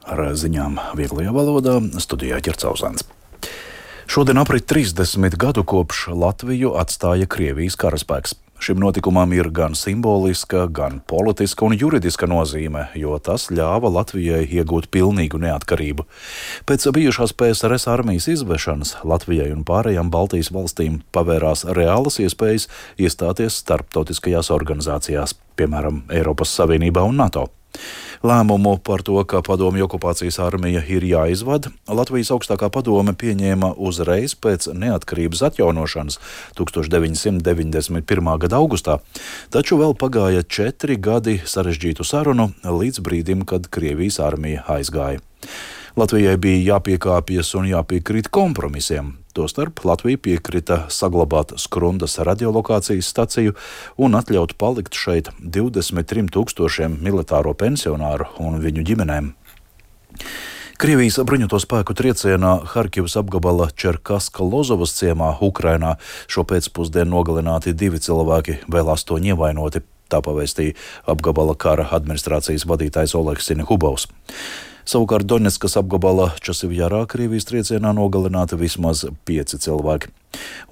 Ar ziņām vieglajā valodā studijā Ķercauzāns. Šodien aprit 30 gadu kopš Latviju atstāja Krievijas karaspēks. Šim notikumam ir gan simboliska, gan politiska un juridiska nozīme, jo tas ļāva Latvijai iegūt pilnīgu neatkarību. Pēc bijušās PSRS armijas izvešanas Latvijai un pārējām Baltijas valstīm pavērās reālas iespējas iestāties starptautiskajās organizācijās, piemēram, Eiropas Savienībā un NATO. Lēmumu par to, ka padomju okupācijas armija ir jāizvada, Latvijas augstākā padome pieņēma uzreiz pēc neatkarības atjaunošanas 1991. Gada augustā, taču vēl pagāja 4 gadi sarežģītu sarunu līdz brīdim, kad Krievijas armija aizgāja. Latvijai bija jāpiekāpjas un jāpiekrīt kompromisiem. Tostarp Latvija piekrita saglabāt Skrundas radiolokācijas staciju un atļaut palikt šeit 23 000 militāro pensionāru un viņu ģimenēm. Krievijas bruņoto spēku triecienā Harkivas apgabala Čerkaska-Lozovas ciemā Ukrainā šo pēcpusdienu nogalināti 2 cilvēki, vēl 8 ievainoti. Tā pavēstīja apgabala kara administrācijas vadītājs Oļegs Sinihubovs. Savukārt Doņetskas apgabala Časivjarā Krievijas triecienā nogalināti vismaz 5 cilvēki.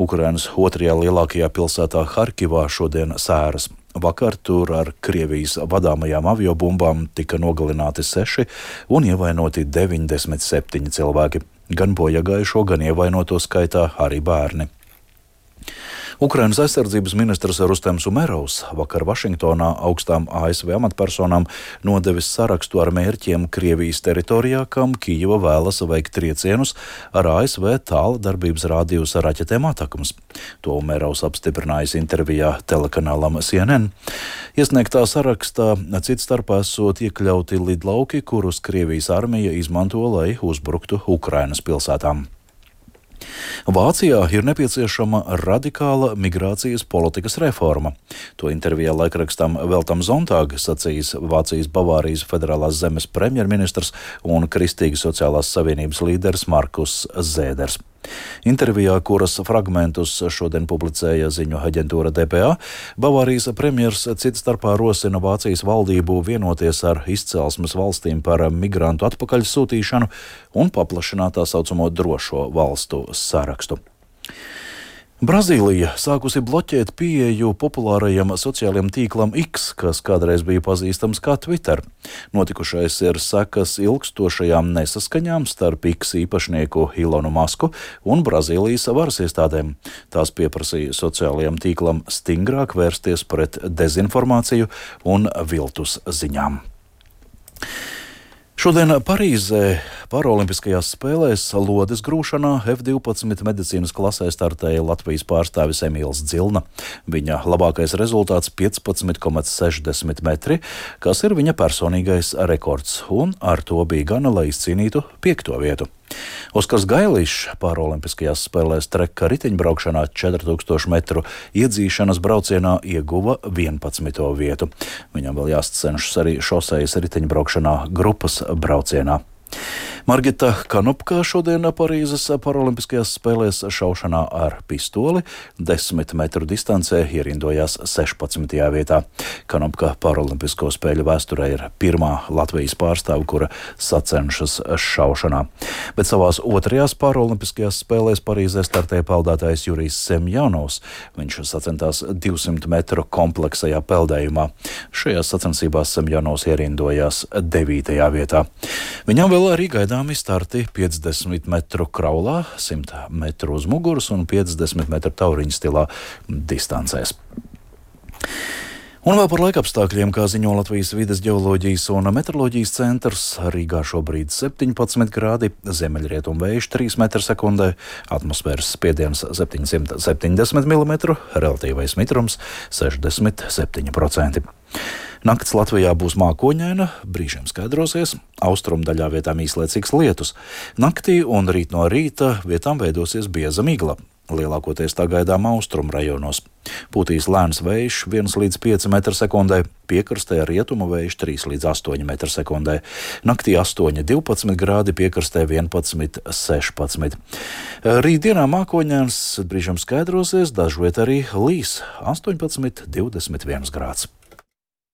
Ukrainas otrajā lielākajā pilsētā Harkivā šodien sēras. Vakar tur ar Krievijas vadāmajām aviobumbām tika nogalināti 6 un ievainoti 97 cilvēki. Gan bojagājušo, gan ievainoto skaitā arī bērni. Ukrainas aizsardzības ministrs Rustems Umerovs vakar Vašingtonā augstām ASV amatpersonām nodevis sarakstu ar mērķiem Krievijas teritorijā, kam Kijeva vēlas veikt triecienus ar ASV tāla darbības rādījusa raķetēm Atakams. To Umerovs apstiprinājis intervijā telekanālam CNN. Iesniegtā sarakstā cits starpā esot iekļauti lidlauki, kurus Krievijas armija izmanto, lai uzbruktu Ukrainas pilsētām. Vācijā ir nepieciešama radikāla migrācijas politikas reforma. To intervijā laikrakstam Veltam Zontāg sacījis Vācijas Bavārijas federālās zemes premjerministrs un Kristīgas sociālās savienības līderis Markus Zēders. Intervijā, kuras fragmentus šodien publicēja ziņu aģentūra DPA, Bavārijas premjers cits starpā rosina Vācijas valdību vienoties ar izcelsmes valstīm par migrantu atpakaļsūtīšanu un paplašināt tā saucamo drošo valstu sarakstu. Brazīlija sākusi bloķēt pieeju populārajam sociālajam tīklam X, kas kādreiz bija pazīstams kā Twitter. Notikušais ir sekas ilgstošajām nesaskaņām starp X īpašnieku Ilonu Masku un Brazīlijas varas iestādēm. Tās pieprasīja sociālajam tīklam stingrāk vērsties pret dezinformāciju un viltus ziņām. Šodien Parīzē Paraolimpiskajās spēlēs lodes grūšanā F12 medicīnas klasē startēja Latvijas pārstāvis Emīls Dzilna. Viņa labākais rezultāts 15,60 metri, kas ir viņa personīgais rekords, un ar to bija gana, lai izcīnītu 5. vietu. Oskars Gailišs Paraolimpiskajās spēlēs treka riteņbraukšanā 4000 metru iedzīšanas braucienā ieguva 11. vietu. Viņam vēl jāsacenšas arī šosejas riteņbraukšanā grupas braucienā. Margita Kanopka šodien Parīzes Paraolimpiskajās spēlēs šaušanā ar pistoli 10 metru distancē ierindojās 16. vietā. Kanopka Paraolimpisko spēļu vēsturē ir pirmā Latvijas pārstāve, kura sacenšas šaušanā. Bet savās otrajās Paraolimpiskajās spēlēs Parīzē startēja peldētājs Jurijs Semjonovs. Viņš sacentās 200 metru kompleksajā peldējumā. Šajās sacensībās Semjonovs ierindojās 9. vietā. Viņam vēl arī gaidāmi starti 50 metru kraulā, 100 metru uz muguras un 50 metru tauriņu stilā distancēs. Un vēl par laikapstākļiem, kā ziņo Latvijas vides ģeoloģijas un meteoroloģijas centrs, Rīgā šobrīd 17 grādi, ziemeļrietumu vējš 3 m/sekundē, atmosfēras spiediens 770 mm, relatīvais mitrums 67%. Nakts Latvijā būs mākoņaina, brīžiem skaidrosies, austrumdaļā vietām īslaicīgs lietus. Naktī un rīt no rīta vietām veidosies bieza migla. Lielākoties tā gaidām austrumu rajonos. Pūtīs lēns vējš 1 līdz 5 m/sekundē, piekrastē rietumu vējš 3 līdz 8 m/sekundē. Naktī 8,12 grādi, piekrastē 11,16. Rītdienā mākoņains, brīžiem skaidrosies, dažviet arī līs 18,21 grāds.